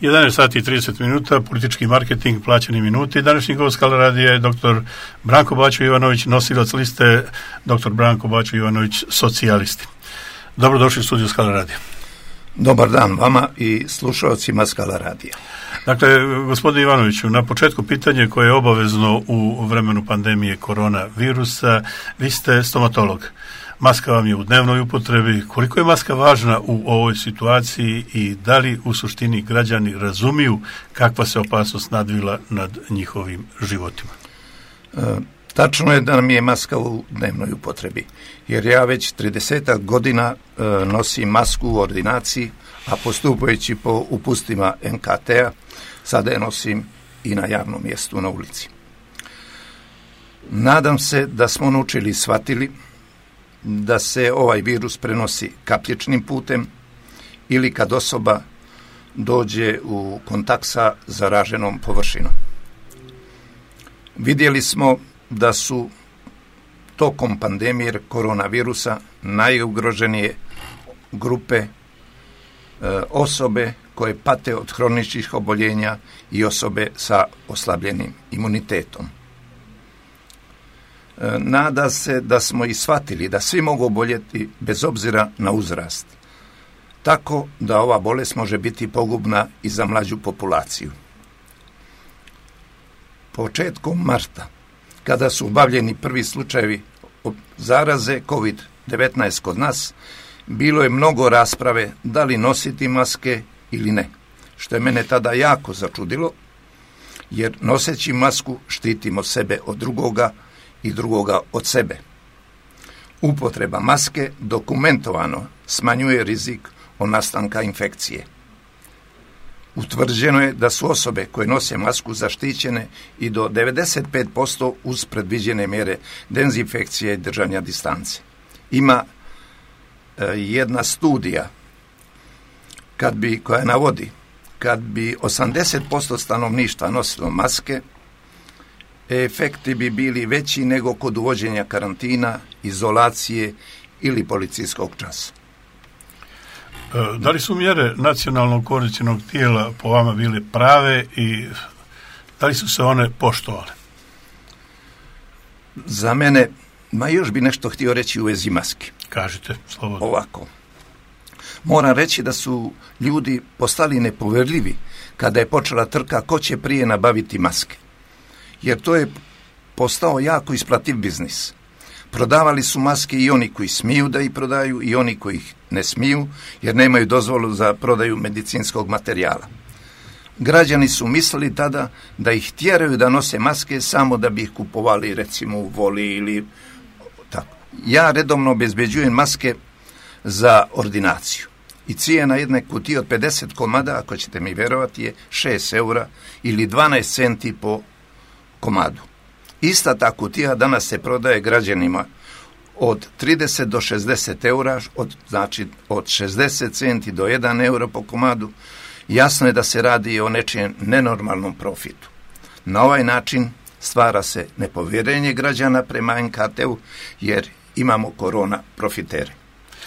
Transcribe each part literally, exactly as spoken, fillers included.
jedanaest sati i trideset minuta, politički marketing, plaćeni minuti. Današnji gost Skala radija je doktor Branko Bačo Ivanović, nosilac liste doktor Branko Bačo Ivanović, socijalisti. Dobrodošli u studiju Skala radija. Dobar dan vama i slušalcima Skala radija. Dakle, gospodine Ivanoviću, na početku pitanje koje je obavezno u vremenu pandemije koronavirusa. Vi ste stomatolog. Maska vam je u dnevnoj upotrebi. Koliko je maska važna u ovoj situaciji i da li u suštini građani razumiju kakva se opasnost nadvila nad njihovim životima? E, tačno je da nam je maska u dnevnoj upotrebi, jer ja već tridesetak godina e, nosim masku u ordinaciji, a postupajući po upustima en ka te-a, sada je nosim i na javnom mjestu na ulici. Nadam se da smo naučili i shvatili da se ovaj virus prenosi kapljičnim putem ili kad osoba dođe u kontakt sa zaraženom površinom. Vidjeli smo da su tokom pandemije koronavirusa najugroženije grupe e, osobe koje pate od hroničnih oboljenja i osobe sa oslabljenim imunitetom. Nada se da smo i shvatili da svi mogu oboljeti bez obzira na uzrast, tako da ova bolest može biti pogubna i za mlađu populaciju. Početkom marta, kada su obavljeni prvi slučajevi zaraze kovid devetnaest kod nas, bilo je mnogo rasprave da li nositi maske ili ne, što je mene tada jako začudilo, jer noseći masku štitimo sebe od drugoga i drugoga od sebe. Upotreba maske dokumentovano smanjuje rizik od nastanka infekcije. Utvrđeno je da su osobe koje nose masku zaštićene i do devedeset pet posto uz predviđene mjere dezinfekcije i držanja distance. Ima e, jedna studija kad bi, koja navodi kad bi osamdeset posto stanovništva nosilo maske, efekti bi bili veći nego kod uvođenja karantina, izolacije ili policijskog časa. Da li su mjere nacionalnog koordinacionog tijela po vama bile prave i da li su se one poštovale? Za mene, ma još bi nešto htio reći u vezi maski. Kažite, slobodno. Ovako. Moram reći da su ljudi postali nepoverljivi kada je počela trka ko će prije nabaviti maske. Jer to je postao jako isplativ biznis. Prodavali su maske i oni koji smiju da ih prodaju i oni koji ih ne smiju, jer nemaju dozvolu za prodaju medicinskog materijala. Građani su mislili tada da ih tjeraju da nose maske samo da bi ih kupovali recimo u Voli ili tako. Ja redovno obezbeđujem maske za ordinaciju i cijena jedne kutije od pedeset komada, ako ćete mi vjerovati, je šest eura ili dvanaest centi po komadu. Ista ta kutija danas se prodaje građanima od trideset do šezdeset eura, od, znači od šezdeset centi do jedan euro po komadu. Jasno je da se radi o nečijem nenormalnom profitu. Na ovaj način stvara se nepovjerenje građana prema en ka te-u jer imamo korona profitere.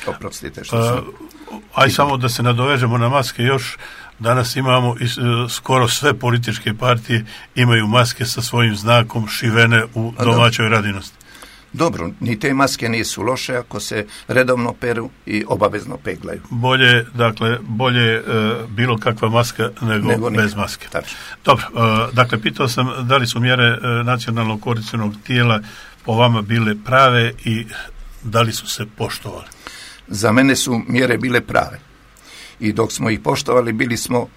Oprostite što sam... Uh, aj samo da se nadovežemo na maske još. Danas imamo i skoro sve političke partije imaju maske sa svojim znakom šivene u domaćoj radinosti. Dobro, ni te maske nisu loše ako se redovno peru i obavezno peglaju. Bolje, dakle, bolje uh, bilo kakva maska nego, nego bez maske. Tačno. Dobro, uh, dakle, pitao sam da li su mjere uh, nacionalnog koordinacionog tijela po vama bile prave i da li su se poštovale? Za mene su mjere bile prave. I dok smo ih poštovali, bili smo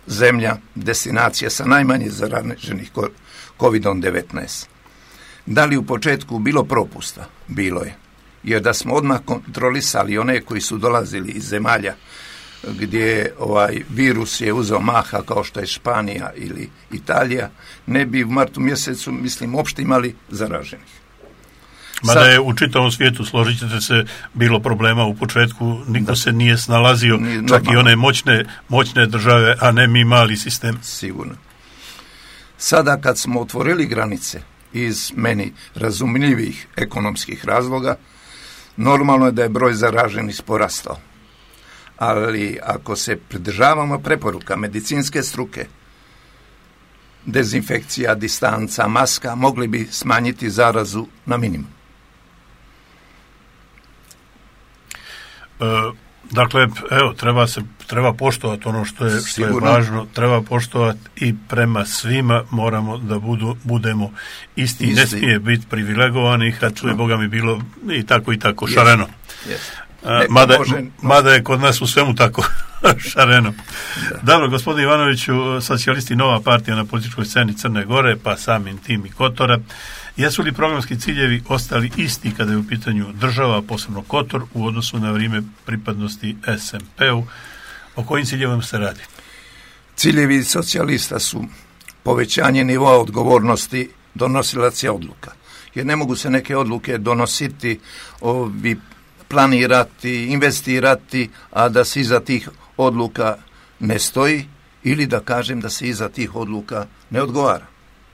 zemlja, destinacija sa najmanje zaraženih kovidom devetnaest. Da li u početku bilo propusta? Bilo je. Jer da smo odmah kontrolisali one koji su dolazili iz zemalja gdje ovaj virus je uzeo maha kao što je Španija ili Italija, ne bi u martu mjesecu, mislim, uopšte imali zaraženih. Mada je u čitavom svijetu, složit ćete se, bilo problema u početku, niko da. se nije snalazio, nije, čak normalno. I one moćne, moćne države, a ne mi mali sistem. Sigurno. Sada kad smo otvorili granice iz meni razumljivih ekonomskih razloga, normalno je da je broj zaraženih porastao. ali ako se pridržavamo preporuka medicinske struke, dezinfekcija, distanca, maska, mogli bi smanjiti zarazu na minimum. E, dakle, evo, treba se treba poštovati ono što je, što je važno, treba poštovati i prema svima moramo da budu, budemo isti, isti. Ne smije biti privilegovanih, a tu je Boga mi bilo i tako i tako, šareno. Yes. Yes. Mada, može, mada je kod nas u svemu tako šareno. Da. Dobro, gospodin Ivanoviću, socijalisti Nova partija na političkoj sceni Crne Gore, pa samim tim i Kotora, jesu li programski ciljevi ostali isti kada je u pitanju država, posebno Kotor, u odnosu na vrijeme pripadnosti es em pe-u? O kojim ciljevima se radi? Ciljevi socijalista su povećanje nivoa odgovornosti donosilaca odluka. Jer ne mogu se neke odluke donositi, ovi, planirati, investirati, a da se iza tih odluka ne stoji ili da kažem da se iza tih odluka ne odgovara.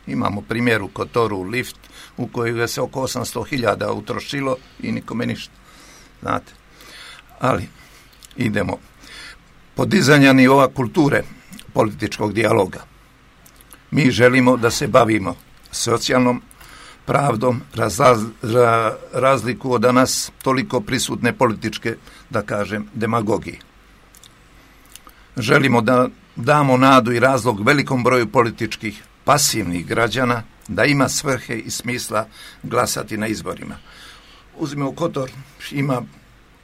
Imamo primjer u Kotoru lift u kojeg se oko osamsto hiljada utrošilo i nikome ništa. Znate. Ali idemo. Podizanja nivoa kulture političkog dijaloga. Mi želimo da se bavimo socijalnom pravdom, razlaz, ra, razliku od danas toliko prisutne političke, da kažem, demagogije. Želimo da damo nadu i razlog velikom broju političkih pasivnih građana da ima svrhe i smisla glasati na izborima. Uzmimo Kotor, ima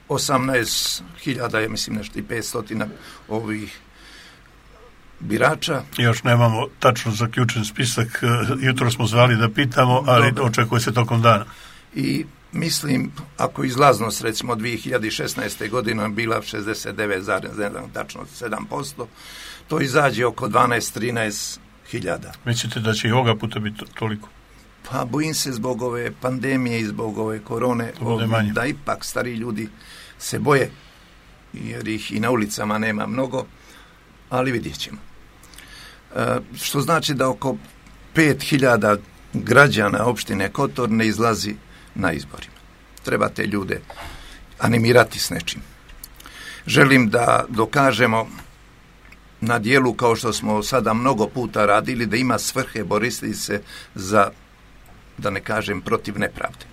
osamnaest hiljada, ja mislim nešto i petsto ovih birača. Još nemamo tačno zaključen spisak, jutro smo zvali da pitamo, ali Dobro. Očekuje se tokom dana. I mislim, ako izlaznost recimo dvije hiljade šesnaeste. godine bila šezdeset devet zarez sedam posto, to izađe oko dvanaest trinaest hiljada. Mislite da će i ovoga puta biti toliko? Pa bojim se zbog ove pandemije i zbog ove korone, da ipak stari ljudi se boje, jer ih i na ulicama nema mnogo, ali vidjet ćemo. E, što znači da oko pet hiljada građana opštine Kotor ne izlazi na izborima. Treba te ljude animirati s nečim. Želim da dokažemo na dijelu, kao što smo sada mnogo puta radili, da ima svrhe boriti se za, da ne kažem, protiv nepravde.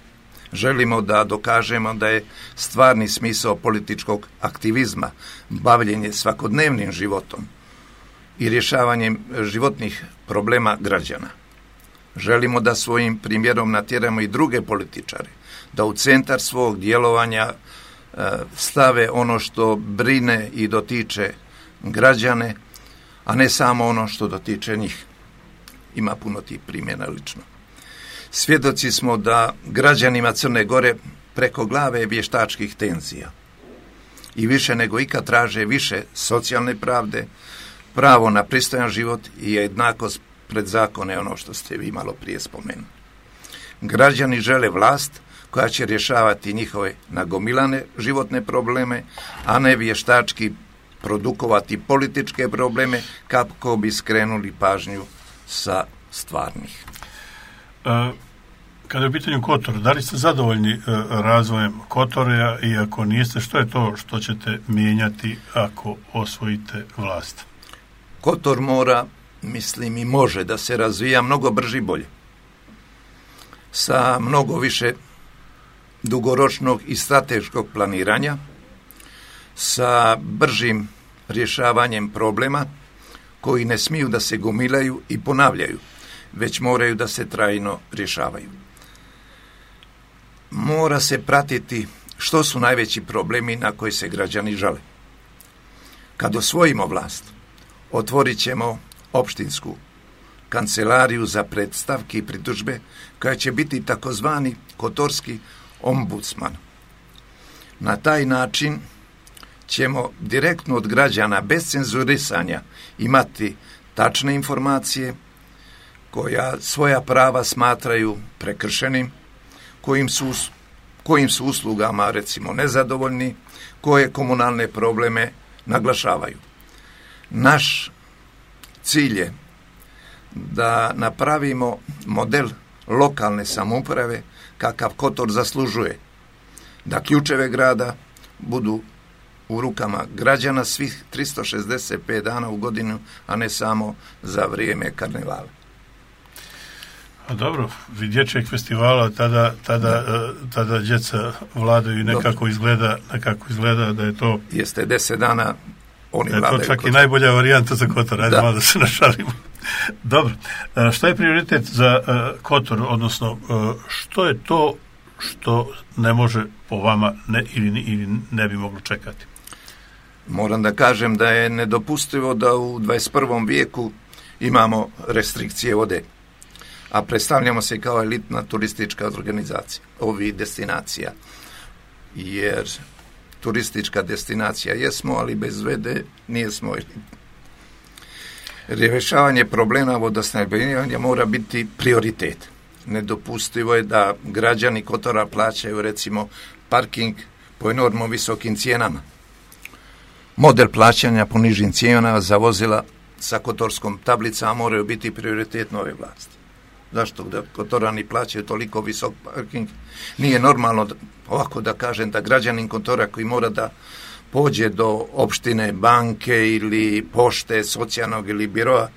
Želimo da dokažemo da je stvarni smisao političkog aktivizma bavljenje svakodnevnim životom i rješavanjem životnih problema građana. Želimo da svojim primjerom natjeramo i druge političare da u centar svog djelovanja e, stave ono što brine i dotiče građane, a ne samo ono što dotiče njih. Ima puno tih primjera lično. Svjedoci smo da građanima Crne Gore preko glave vještačkih tenzija i više nego ikad traže više socijalne pravde, pravo na pristojan život i jednakost pred zakone, ono što ste vi malo prije spomenuli. Građani žele vlast koja će rješavati njihove nagomilane životne probleme, a ne vještački produkovati političke probleme kako bi skrenuli pažnju sa stvarnih. E, kada je u pitanju Kotor, da li ste zadovoljni e, razvojem Kotora i ako niste, što je to što ćete mijenjati ako osvojite vlast? Kotor mora, mislim i može da se razvija mnogo brže i bolje. Sa mnogo više dugoročnog i strateškog planiranja, sa bržim rješavanjem problema koji ne smiju da se gomilaju i ponavljaju, već moraju da se trajno rješavaju. Mora se pratiti što su najveći problemi na koji se građani žale. Kad osvojimo vlast, otvorit ćemo opštinsku kancelariju za predstavke i pritužbe koja će biti takozvani kotorski ombudsman. Na taj način ćemo direktno od građana bez cenzurisanja imati tačne informacije koja svoja prava smatraju prekršenim, kojim su, kojim su uslugama recimo nezadovoljni, koje komunalne probleme naglašavaju. Naš cilj je da napravimo model lokalne samouprave kakav Kotor zaslužuje, da ključeve grada budu u rukama građana svih tristo šezdeset pet dana u godinu, a ne samo za vrijeme karnevala. A dobro, dječjeg festivala tada, tada, tada djeca vladaju i nekako dobro. izgleda, nekako izgleda da je to... Jeste deset dana oni da je vladaju. To čak i najbolja varijanta za Kotor, ajde malo da se našalimo. Dobro, šta je prioritet za Kotor, odnosno što je to što ne može po vama ne, ili, ili ne bi moglo čekati? Moram da kažem da je nedopustivo da u dvadeset prvom vijeku imamo restrikcije vode, a predstavljamo se kao elitna turistička organizacija ovih destinacija, jer turistička destinacija jesmo, ali bez vode nijesmo elitni. Rješavanje problema vodosnabdijevanja mora biti prioritet. Nedopustivo je da građani Kotora plaćaju recimo parking po enormno visokim cijenama. Model plaćanja po nižim cijenama za vozila sa kotorskom tablicama moraju biti prioritet nove vlasti. Zašto da Kotorani plaćaju toliko visok parking? Nije normalno, ovako da kažem, da građanin Kotora koji mora da pođe do opštine, banke ili pošte, socijalnog ili biroa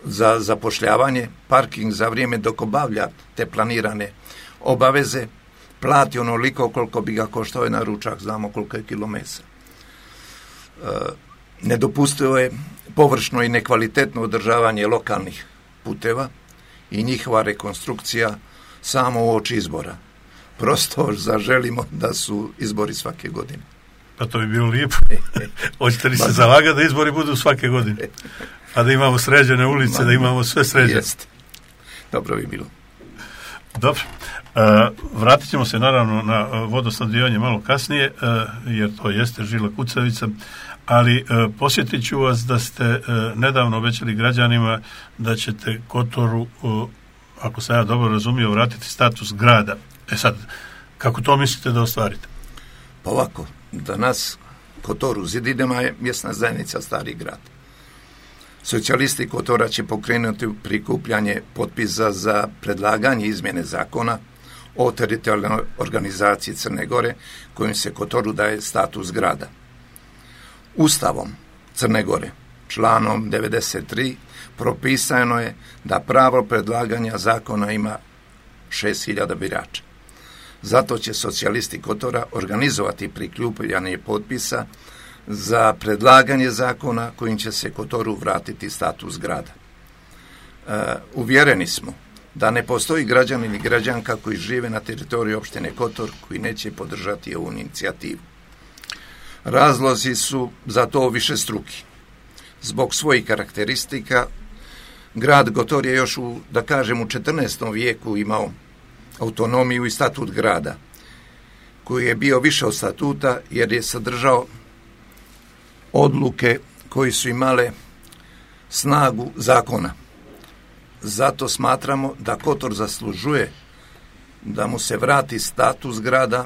za zapošljavanje, parking za vrijeme dok obavlja te planirane obaveze, plati onoliko koliko bi ga koštao na ručak, znamo koliko je kilometra. E, nedopustivo je površno i nekvalitetno održavanje lokalnih puteva i njihova rekonstrukcija samo u oči izbora. Prosto zaželimo da su izbori svake godine. Pa to bi bilo lijepo. Hoćete li se zalagati da izbori budu svake godine? A da imamo sređene ulice, da imamo sve sređene. Jest. Dobro bi bilo. Dobro. Uh, vratit ćemo se naravno na uh, vodosnabdijevanje malo kasnije, uh, jer to jeste žila kucavica, ali uh, posjetit ću vas da ste uh, nedavno obećali građanima da ćete Kotoru, uh, ako sam ja dobro razumio, vratiti status grada. E sad, kako to mislite da ostvarite? Pa ovako, danas Kotoru Zidinama je mjesna zajednica Stari grad. Socijalisti Kotora će pokrenuti prikupljanje potpisa za predlaganje izmjene zakona o teritorijalnoj organizaciji Crne Gore kojim se Kotoru daje status grada. Ustavom Crne Gore, članom devedeset tri, propisano je da pravo predlaganja zakona ima šest hiljada birača. Zato će socijalisti Kotora organizovati prikupljanje potpisa za predlaganje zakona kojim će se Kotoru vratiti status grada. E, uvjereni smo da ne postoji građan ili građanka koji žive na teritoriju opštine Kotor koji neće podržati ovu inicijativu. Razlozi su za to višestruki. Zbog svojih karakteristika, grad Kotor je još u, da kažem, u četrnaestom vijeku imao autonomiju i statut grada, koji je bio više od statuta jer je sadržao odluke koji su imale snagu zakona. Zato smatramo da Kotor zaslužuje da mu se vrati status grada,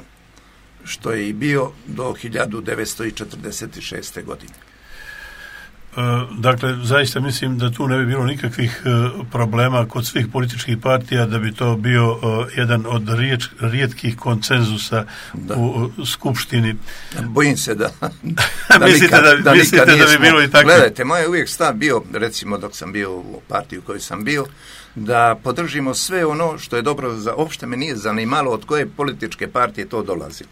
što je i bio do hiljadu devetsto četrdeset šeste. godine. Dakle, zaista mislim da tu ne bi bilo nikakvih problema kod svih političkih partija da bi to bio jedan od riječ, rijetkih konsenzusa da. u Skupštini. Bojim se da da mislite nikad, da, da, mislite da bi bilo i tako. Gledajte, moj je uvijek stav bio, recimo dok sam bio u partiji u kojoj sam bio, da podržimo sve ono što je dobro za opšte. Me nije zanimalo od koje političke partije to dolazi.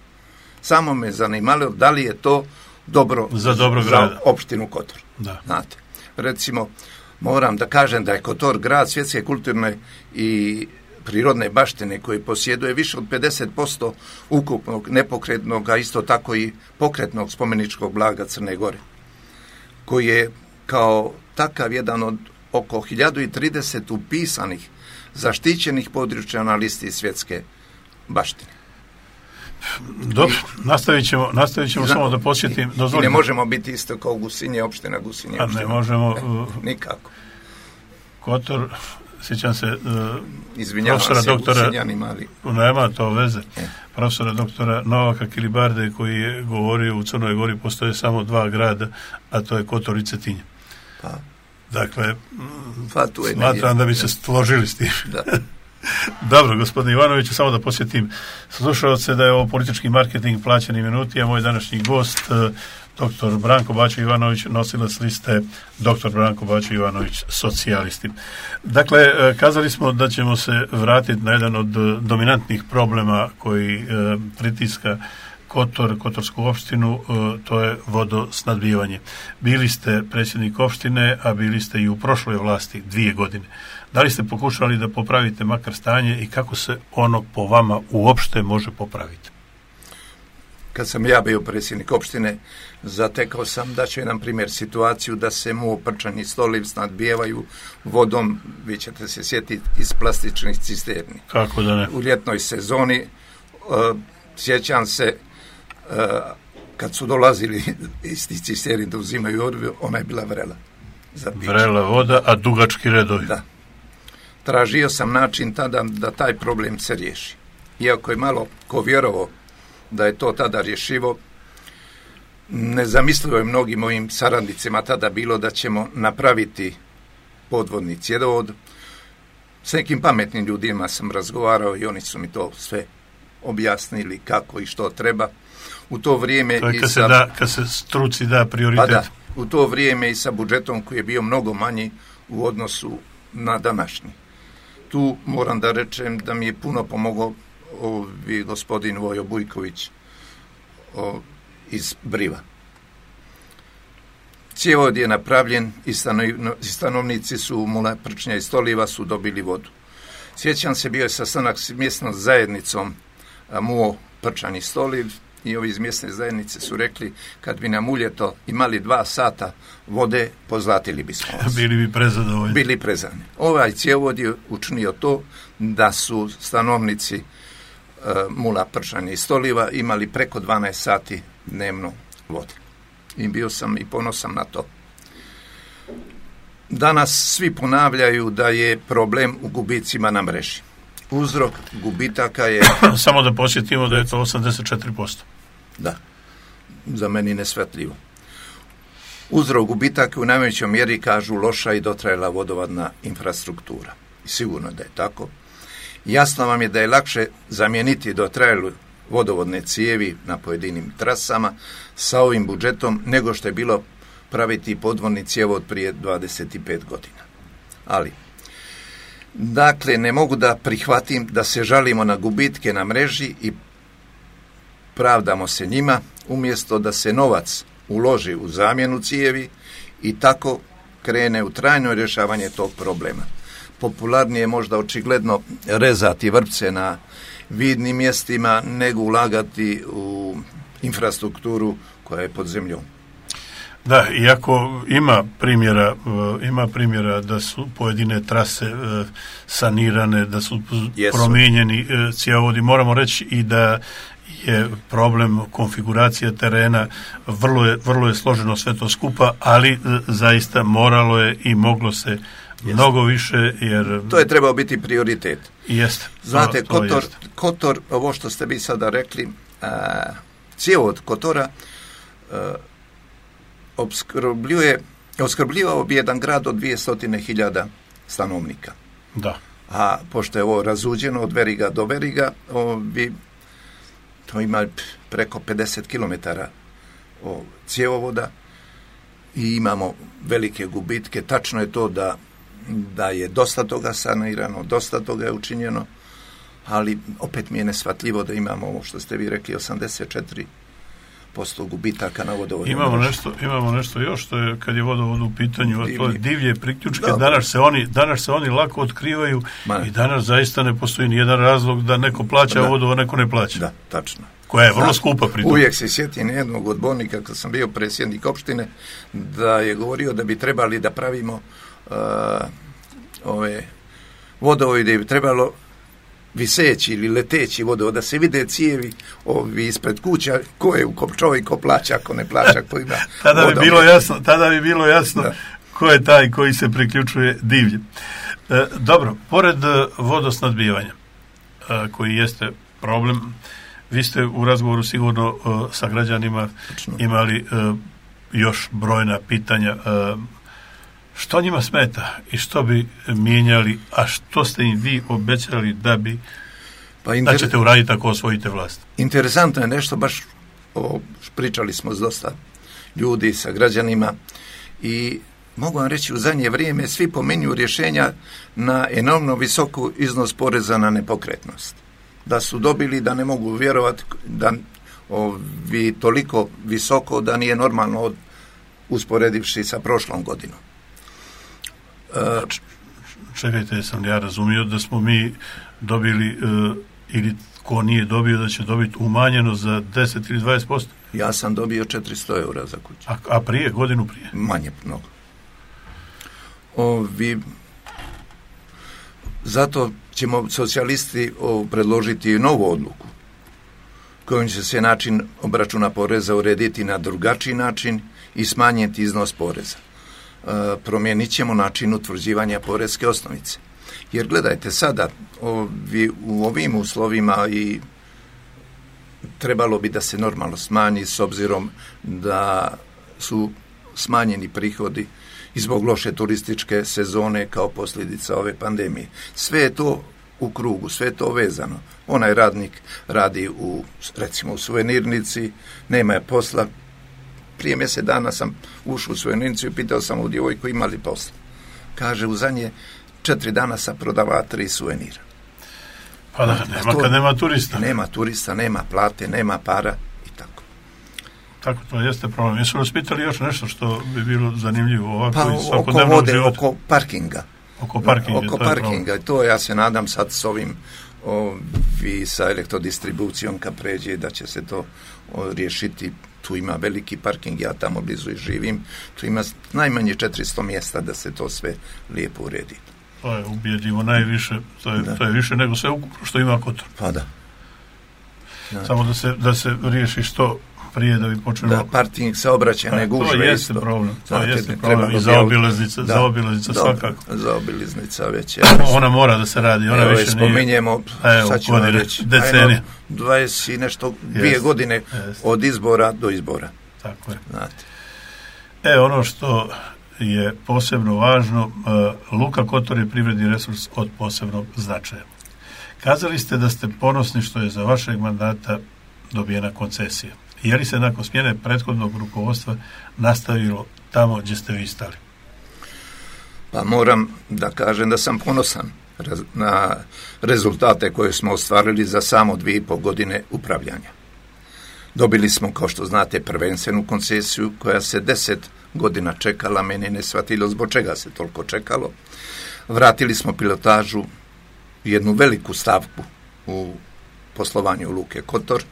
Samo me zanimalo da li je to dobro za, dobro za opštinu Kotor. Da. Znate, recimo, moram da kažem da je Kotor grad svjetske kulturne i prirodne baštine koji posjeduje više od pedeset posto ukupnog nepokretnog, a isto tako i pokretnog spomeničkog blaga Crne Gore, koji je kao takav jedan od oko hiljadu trideset upisanih zaštićenih područja na listi svjetske baštine. Dobro, nastavit ćemo, nastavit ćemo samo da posjetim. I ne možemo biti isto kao Gusinje, opština Gusinje. A ne možemo. Uh, Nikako. Kotor, sjećam se uh, profesora se doktora, ali... nema to veze, e. profesora doktora Novaka Kilibarde koji je govorio u Crnoj Gori postoje samo dva grada, a to je Kotor i Cetinje. Pa. Dakle, pa, tu je smatram da bi se složili s tim. Da. Dobro, gospodine Ivanoviću, samo da posjetim slušalce da je ovo politički marketing plaćeni minuti, a moj današnji gost, doktor Branko Bačo Ivanović, nosilac liste doktor Branko Bačo Ivanović, socijalisti. Dakle, kazali smo da ćemo se vratiti na jedan od dominantnih problema koji pritiska Kotor, Kotorsku opštinu, to je vodosnadbivanje. Bili ste predsjednik opštine, a bili ste i u prošloj vlasti dvije godine. Da li ste pokušali da popravite makar stanje i kako se ono po vama uopšte može popraviti? Kad sam ja bio predsjednik opštine, zatekao sam da će nam primjer situaciju da se mu Prčani stoliv snadbijevaju vodom, vi ćete se sjetiti, iz plastičnih cisterni. Kako da ne? U ljetnoj sezoni, uh, sjećam se, uh, kad su dolazili iz tih cisterni da uzimaju vodu, ona je bila vrela. Vrela voda, a dugački redovi. Da. Tražio sam način tada da taj problem se riješi. Iako je malo ko vjerovao da je to tada rješivo, nezamislivo je mnogim mojim saradnicima tada bilo da ćemo napraviti podvodni cjedovod. S nekim pametnim ljudima sam razgovarao i oni su mi to sve objasnili kako i što treba. U to vrijeme to je kad, i se sa, da, kad se struci da prioritet. Pa da, u to vrijeme i sa budžetom koji je bio mnogo manji u odnosu na današnji. Tu moram da rečem da mi je puno pomogao ovi gospodin Vojo Bujković o, iz Briva. Cjevovod je napravljen i stanovnici su Mula Prčnja i Stoliva su dobili vodu. Sjećam se, bio je sastanak s mjesnom zajednicom Muo Prčan i Stoliv i ovi iz mjesne zajednice su rekli kad bi nam uljeto imali dva sata vode, pozlatili bismo vas. Bili bi prezadovoljni. Bili prezadovoljni. Ovaj cjevovod je učinio to da su stanovnici uh, Mula Prčan i Stoliva imali preko dvanaest sati dnevno vode. I bio sam i ponosan na to. Danas svi ponavljaju da je problem u gubicima na mreži. Uzrok gubitaka je... Samo da posjetimo da je to osamdeset četiri posto. Da, za meni nesvetljivo. Uzrok gubitaka u najvećoj mjeri kažu loša i dotrajala vodovodna infrastruktura. I sigurno da je tako. Jasno vam je da je lakše zamijeniti dotrajalu vodovodne cijevi na pojedinim trasama sa ovim budžetom nego što je bilo praviti podvodni cjevovod prije dvadeset pet godina. Ali, dakle, ne mogu da prihvatim da se žalimo na gubitke na mreži i pravdamo se njima, umjesto da se novac uloži u zamjenu cijevi i tako krene u trajno rješavanje tog problema. Popularnije je možda očigledno rezati vrpce na vidnim mjestima nego ulagati u infrastrukturu koja je pod zemljom. Da, iako ima primjera, ima primjera da su pojedine trase sanirane, da su Jesu. promijenjeni cjevovodi, moramo reći i da je problem konfiguracija terena, vrlo je, vrlo je složeno sve to skupa, ali zaista moralo je i moglo se Jeste. mnogo više, jer... To je trebao biti prioritet. Jeste. Znate, to, to Kotor, jeste. Kotor, ovo što ste vi sada rekli, cjevovod Kotora a, opskrbljuje, opskrbljivao bi jedan grad od dvjesto hiljada stanovnika. Da. A pošto je ovo razuđeno od Veriga do Veriga, bi to ima preko pedeset kilometara cjevovoda i imamo velike gubitke. Tačno je to da, da je dosta toga sanirano, dosta toga je učinjeno, ali opet mi je neshvatljivo da imamo ovo što ste vi rekli, osamdeset četiri posto gubitaka na vodovodu. Imamo nešto, imamo nešto još, što je kad je vodovod u pitanju, a to je divlje priključke, danas se, oni, danas se oni lako otkrivaju Ma. i danas zaista ne postoji ni jedan razlog da neko plaća da. vodovod, neko ne plaća. Da, tačno. Koja je vrlo da. skupa pri tom. Uvijek se sjetim jednog odbornika kad sam bio predsjednik opštine da je govorio da bi trebali da pravimo uh, ove vodovode, da bi trebalo viseći ili leteći vodovod, da se vide cijevi ovi ispred kuća, ko je ko čovjek, ko plaća, ko ne plaća, ko ima tada bi bilo jasno, tada bi bilo jasno da. ko je taj koji se priključuje divlje. E, dobro, pored vodosnadbivanja, e, koji jeste problem, vi ste u razgovoru sigurno e, sa građanima Točno. imali e, još brojna pitanja. E, Što njima smeta i što bi mijenjali, a što ste im vi obećali da bi pa inter... da ćete uraditi ako osvojite vlast? Interesantno je nešto, baš ovo, pričali smo s dosta ljudi, sa građanima i mogu vam reći u zadnje vrijeme svi pominju rješenja na enormno visoku iznos poreza na nepokretnost. Da su dobili, da ne mogu vjerovati da ovi toliko visoko da nije normalno od, usporedivši sa prošlom godinom. Uh, Čekajte, sam ja razumio da smo mi dobili uh, ili ko nije dobio da će dobiti umanjeno za deset ili dvadeset posto? Ja sam dobio četiristo eura za kuću. A, a prije, godinu prije? Manje, mnogo. Ovi, zato ćemo socijalisti o, predložiti novu odluku kojom će se način obračuna poreza urediti na drugačiji način i smanjiti iznos poreza. E, promijenit ćemo način utvrđivanja porezke osnovice. Jer gledajte sada, ovi, u ovim uslovima i trebalo bi da se normalno smanji s obzirom da su smanjeni prihodi i zbog loše turističke sezone kao posljedica ove pandemije. Sve je to u krugu, sve je to vezano. Onaj radnik radi u, recimo, u suvenirnici, nema je posla. Prije mjesec dana sam ušao u suvenirnicu i pitao sam u djevojku ima li posla. Kaže, u zadnje četiri dana sam prodavao tri suvenira. Pa da, nema to, kad nema turista. Nema turista, nema plate, nema para i tako. Tako, to jeste problem. Jesu vas pitali još nešto što bi bilo zanimljivo ovako pa, iz svakodnevnog vode, života? oko parkinga. Oko parkinga, oko to je parkinga. problem. To ja se nadam sad s ovim ovi, sa elektrodistribucijom kad pređe da će se to o, riješiti. Tu ima veliki parking, ja tamo blizu i živim. Tu ima najmanje četiristo mjesta da se to sve lijepo uredi. To je ubjedljivo najviše, to je, to je više nego sve ukupno što ima Kotor. Pa da. da. Samo da se, da se riješi što prije da bi počelo... Da, parking saobraćajne gužve isto. To jeste problem, to Znate, jeste problem i zaobilaznica, da, zaobilaznica svakako. Zaobilaznica već je. Ona mora da se radi, ona evo, više spominjemo, nije... Evo, sad ćemo godine, reći, decenija. dvadeset i nešto, dvije jest, godine jest. Od izbora do izbora. Tako je. Znate. E, ono što je posebno važno, uh, Luka Kotor je privredni resurs od posebnog značaja. Kazali ste da ste ponosni što je za vašeg mandata dobijena koncesija. Je li se nakon smjene prethodnog rukovodstva nastavilo tamo gdje ste vi stali? Pa moram da kažem da sam ponosan na rezultate koje smo ostvarili za samo dvije i pol godine upravljanja. Dobili smo, kao što znate, prvenstvenu koncesiju koja se deset godina čekala, meni ne shvatilo zbog čega se toliko čekalo. Vratili smo pilotažu, jednu veliku stavku u poslovanju Luke Kotor.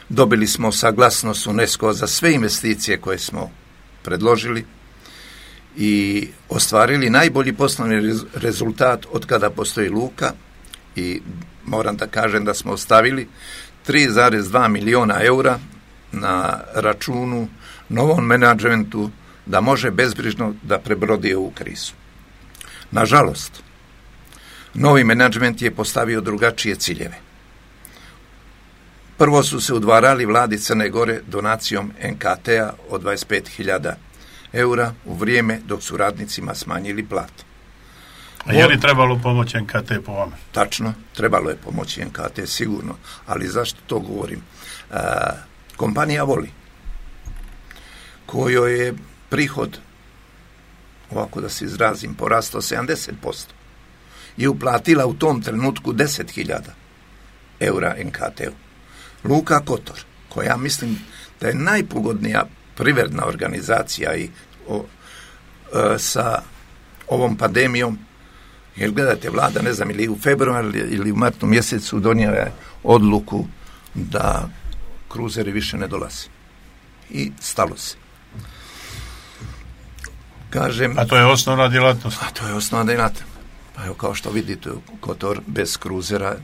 Dobili smo saglasnost UNESCO za sve investicije koje smo predložili i ostvarili najbolji poslovni rezultat od kada postoji Luka i moram da kažem da smo ostavili tri zarez dva miliona eura na računu novom menadžmentu da može bezbrižno da prebrodi ovu krizu. Nažalost, novi menadžment je postavio drugačije ciljeve. Prvo su se udvarali vladi Crne Gore donacijom en ka te-a od dvadeset pet hiljada eura u vrijeme dok su radnicima smanjili plate. A je li trebalo pomoći en ka te po vama? Tačno, trebalo je pomoći en ka te sigurno, ali zašto to govorim? E, kompanija Voli, kojoj je prihod, ovako da se izrazim, porastao sedamdeset posto, je uplatila u tom trenutku deset hiljada eura en ka te-u. Luka Kotor, koja mislim da je najpogodnija privredna organizacija i o, e, sa ovom pandemijom, jer gledajte, vlada, ne znam, ili u februaru ili u martu mjesecu donijela je odluku da kruzeri više ne dolaze. I stalo se. Kažem, a to je osnovna djelatnost. A to je osnovna djelatnost. Pa evo, kao što vidite, Kotor bez kruzera,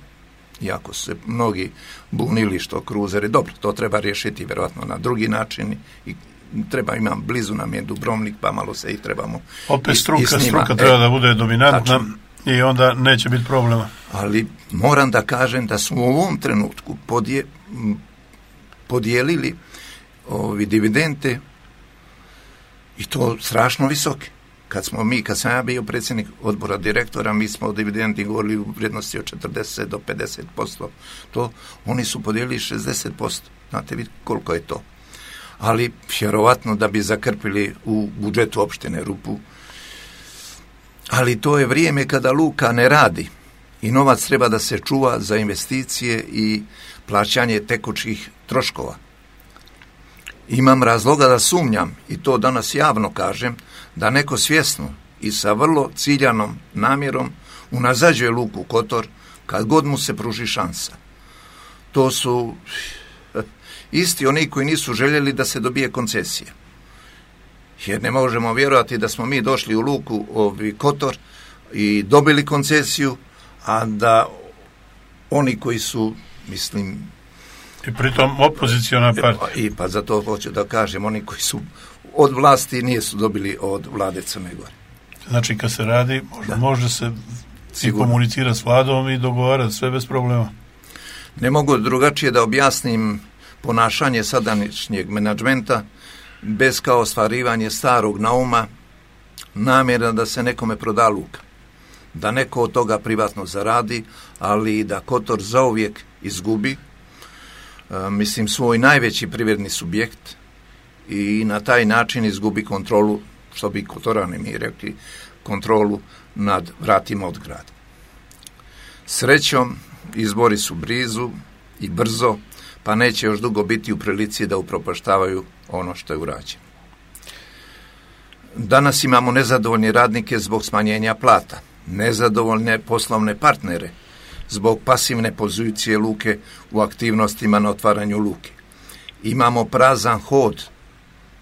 iako su se mnogi bunili što kruzeri, dobro, to treba riješiti vjerojatno na drugi način i treba, imam blizu nam je Dubrovnik, pa malo se i trebamo opet i, struka, i s njima, struka treba e, da bude dominantna tačno. I onda neće biti problema. Ali moram da kažem da smo u ovom trenutku podje, podijelili ovi dividende i to strašno visoke. Kad smo mi, kad sam ja bio predsjednik odbora direktora, mi smo o dividendi govorili u vrijednosti od četrdeset do pedeset posto. To oni su podijelili šezdeset posto. Znate vi koliko je to? Ali vjerovatno da bi zakrpili u budžetu opštine rupu. Ali to je vrijeme kada luka ne radi i novac treba da se čuva za investicije i plaćanje tekućih troškova. Imam razloga da sumnjam, i to danas javno kažem, da neko svjesno i sa vrlo ciljanom namjerom unazađuje luku Kotor kad god mu se pruži šansa. To su isti oni koji nisu željeli da se dobije koncesija. Jer ne možemo vjerovati da smo mi došli u luku ovi Kotor i dobili koncesiju, a da oni koji su, mislim... I pritom opoziciona partija. I pa zato hoću da kažem, oni koji su od vlasti nisu dobili od vlade Crne Gore. Znači kad se radi, može, može se i komunicirati s vladom i dogovarati sve bez problema. Ne mogu drugačije da objasnim ponašanje sadašnjeg menadžmenta bez kao ostvarivanje starog nauma, namjera da se nekome proda luka. Da neko od toga privatno zaradi, ali da Kotor zauvijek izgubi, e, mislim, svoj najveći privredni subjekt i na taj način izgubi kontrolu, što bi Kotorani mi rekli, kontrolu nad vratima od grada. Srećom, izbori su blizu i brzo, pa neće još dugo biti u prilici da upropaštavaju ono što je urađeno. Danas imamo nezadovoljne radnike zbog smanjenja plata, nezadovoljne poslovne partnere zbog pasivne pozicije luke u aktivnostima na otvaranju luke. Imamo prazan hod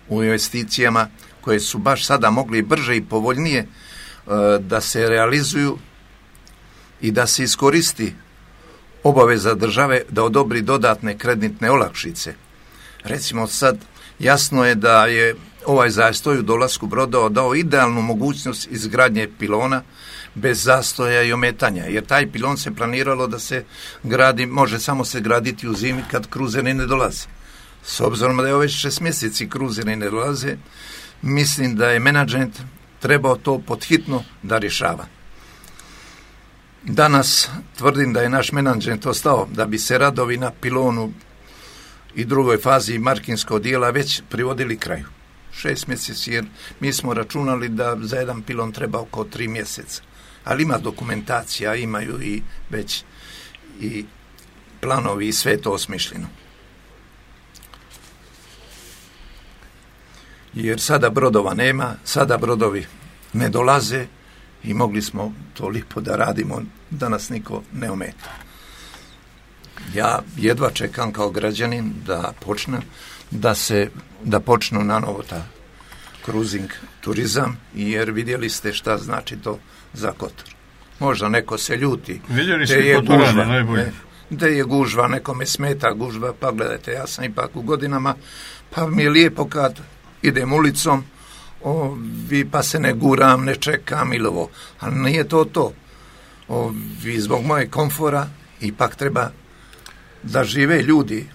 u investicijama koje su baš sada mogli brže i povoljnije uh, da se realizuju i da se iskoristi obaveza države da odobri dodatne kreditne olakšice. Recimo sad, jasno je da je ovaj zastoj u dolasku brodova dao idealnu mogućnost izgradnje pilona bez zastoja i ometanja, jer taj pilon se planiralo da se gradi, može samo se graditi u zimi kad kruzeri ne dolaze. S obzirom da je ove šest mjeseci kruzeri ne dolaze, mislim da je menadžment trebao to podhitno da rješava. Danas tvrdim da je naš menadžment ostao da bi se radovi na pilonu i drugoj fazi markinskog dijela već privodili kraju. Šest mjeseci, jer mi smo računali da za jedan pilon treba oko tri mjeseca. Ali ima dokumentacija, imaju i već i planovi i sve to osmišljeno. Jer sada brodova nema, sada brodovi ne dolaze i mogli smo to lipo da radimo, da nas niko ne ometa. Ja jedva čekam kao građanin da počne, da se, da počnu na novo ta cruising turizam, jer vidjeli ste šta znači to za Kotor. Možda neko se ljuti. Vidjeli ste Kotorane najbolje. Ne, da je gužva, nekome smeta gužva, pa gledajte, ja sam ipak u godinama, pa mi je lijepo kad idem ulicom, o, vi pa se ne guram, ne čekam ili ovo, ali nije to to. O, vi zbog moje komfora ipak treba da žive ljudi.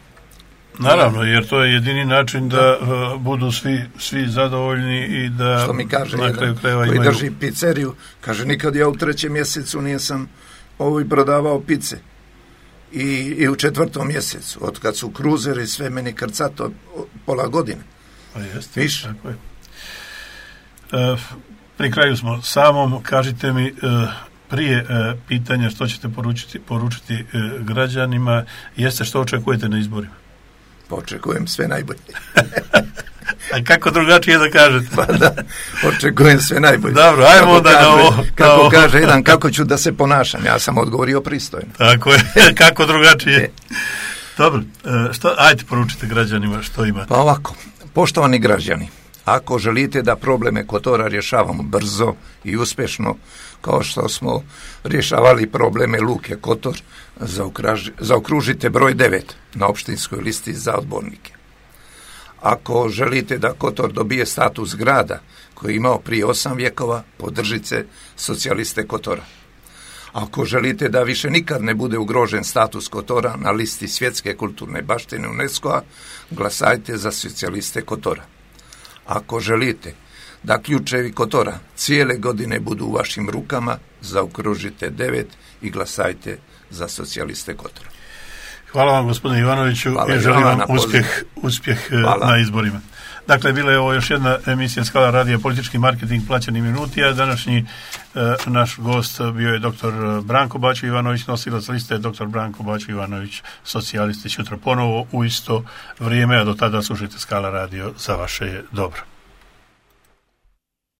Naravno, jer to je jedini način da, da uh, budu svi, svi zadovoljni i da što mi kaže na kraju krajeva koji imaju... drži pizzeriju, kaže nikad ja u trećem mjesecu nisam ovoj prodavao pice. I, i u četvrtom mjesecu, od kad su kruzeri sve meni krcato pola godine. Pa jeste, Viš? Tako je. Uh, pri kraju smo samom, kažite mi uh, prije uh, pitanja što ćete poručiti, poručiti uh, građanima, jeste što očekujete na izborima? Očekujem sve najbolje. A kako drugačije da kažete? Pa da, očekujem sve najbolje. Dobro, ajmo kako onda kaže, na ovo. Kako ovo. kaže jedan, kako ću da se ponašam? Ja sam odgovorio pristojno. Tako je, kako drugačije. Dobro, što, ajde poručite građanima što imate. Pa ovako, poštovani građani, ako želite da probleme Kotora rješavamo brzo i uspješno, kao što smo rješavali probleme luke Kotor, zaokružite broj devet na opštinskoj listi za odbornike. Ako želite da Kotor dobije status grada koji je imao prije osam vjekova, podržite socijaliste Kotora. Ako želite da više nikad ne bude ugrožen status Kotora na listi svjetske kulturne baštine UNESCO-a, glasajte za socijaliste Kotora. Ako želite da ključevi Kotora cijele godine budu u vašim rukama, zaokružite devet i glasajte za socijaliste Kotora. Hvala vam, gospodine Ivanoviću, Hvala i želim vam na uspjeh, uspjeh Hvala. na izborima. Dakle, bila je ovo još jedna emisija Skala radija Politički marketing plaćeni minuti, a današnji e, naš gost bio je doktor Branko Bačo Ivanović, nosilac liste doktor Branko Bačo Ivanović, socijalisti. Sutra ponovo u isto vrijeme, a do tada slušajte Skala radio, za vaše je dobro.